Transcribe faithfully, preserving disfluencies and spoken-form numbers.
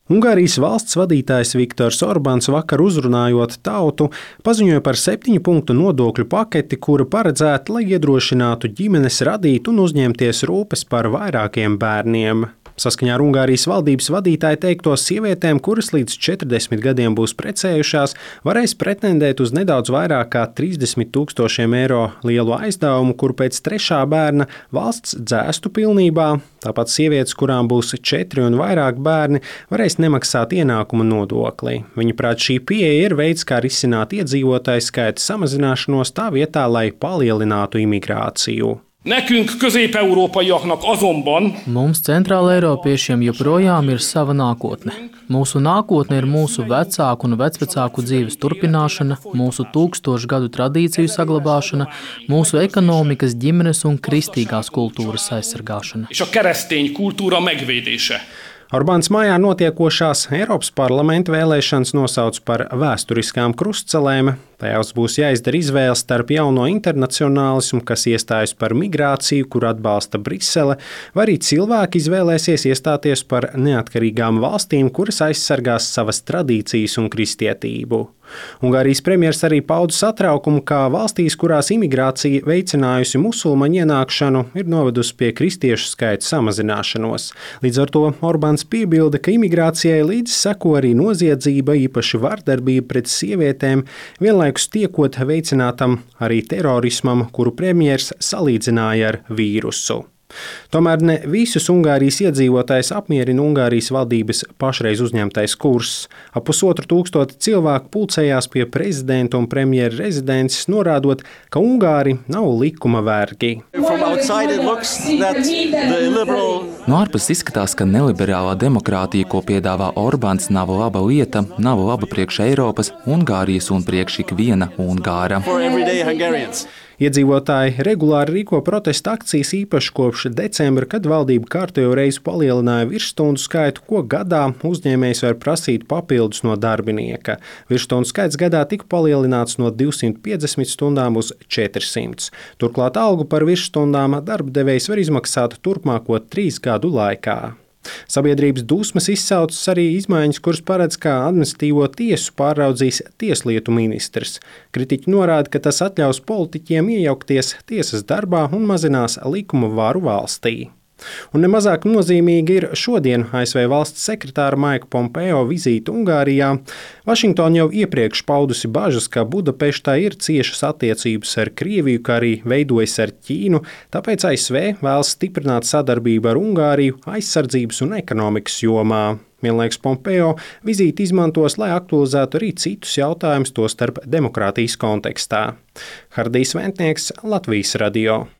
Ungārijas valsts vadītājs Viktors Orbāns vakar uzrunājot tautu, paziņoja par septiņu punktu nodokļu paketi, kura paredzēta, lai iedrošinātu ģimenes radīt un uzņemties rūpes par vairākiem bērniem. Saskaņā ar Ungārijas valdības vadītāju teikto, sievietēm, kuras līdz četrdesmit gadiem būs precējušās, varēs pretendēt uz nedaudz vairāk kā trīsdesmit tūkstošiem eiro lielu aizdevumu, kuru pēc trešā bērna valsts dzēstu pilnībā. Tāpat sievietes, kurām būs četri un vairāk bērni, varēs nemaksāt ienākuma nodokli. Viņuprāt, šī pieeja ir veids, kā risināt iedzīvotāju skaita samazināšanos tā vietā, lai palielinātu imigrāciju. Nekünk, közép-európaiaknak azonban mums, centrāleiropiešiem, joprojām ir sava nākotne. Mūsu nākotne ir mūsu vecāku un vecvecāku dzīves turpināšana, mūsu tūkstošu gadu tradīciju saglabāšana, mūsu ekonomikas, ģimenes un kristīgās kultūras aizsargāšana. és a keresztény kultúra megvédése. Orbāns mājā notiekošās Eiropas parlamenta vēlēšanas nosauc par vēsturiskām krustcelēm. Tajās būs jāizdara izvēle starp jauno internacionālismu, kas iestājas par migrāciju, kur atbalsta Brisele, vai arī cilvēki izvēlēsies iestāties par neatkarīgām valstīm, kuras aizsargās savas tradīcijas un kristietību. Ungārijas premjers arī pauda satraukumu, kā valstīs, kurās imigrācija veicinājusi musulmaņu ienākšanu, ir novedusi pie kristiešu skaita samazināšanos. Līdz ar to Orbāns piebilda, ka imigrācijai līdz seko arī noziedzība, īpaši vardarbība pret sievietēm, vienlaikus tiekot veicinātam arī terorismam, kuru premjers salīdzināja ar vīrusu. Tomēr ne visus Ungārijas iedzīvotājus apmierina Ungārijas valdības pašreiz uzņemtais kurs. Ap pusotru tūkstoti cilvēku pulcējās pie prezidenta un premjera rezidences, norādot, ka Ungāri nav likuma vergi. No ārpuses izskatās, ka neliberālā demokrātija, ko piedāvā Orbāns, nav laba lieta, nav laba priekš Eiropas, Ungārijas un priekš ikviena Ungāra. Iedzīvotāji regulāri rīko protesta akcijas īpaši kopš decembra, kad valdība kārtējo reizi palielināja virsstundu skaitu, ko gadā uzņēmējs var prasīt papildus no darbinieka. Virsstundu skaits gadā tika palielināts no divsimt piecdesmit stundām uz četrsimt. Turklāt algu par virsstundām darba devējs var izmaksāt turpmāko trīs gadu laikā. Sabiedrības dusmas izsaucas arī izmaiņas, kuras paredz, kā administratīvo tiesu pāraudzīs tieslietu ministrs. Kritiķi norāda, ka tas atļaus politiķiem iejaukties tiesas darbā un mazinās likuma varu valstī. Un nemazāk nozīmīgi ir šodien A S V valsts sekretāra Maika Pompeo vizīte Ungārijā. Vašingtona jau iepriekš paudusi bažas, ka Budapeštā ir ciešas attiecības ar Krieviju, kā arī veidojas ar Ķīnu, tāpēc A S V vēlas stiprināt sadarbību ar Ungāriju aizsardzības un ekonomikas jomā. Vienlaikus Pompeo vizīti izmantos, lai aktualizētu arī citus jautājumus, tostarp demokrātijas kontekstā. Hardijs Ventnieks, Latvijas radio.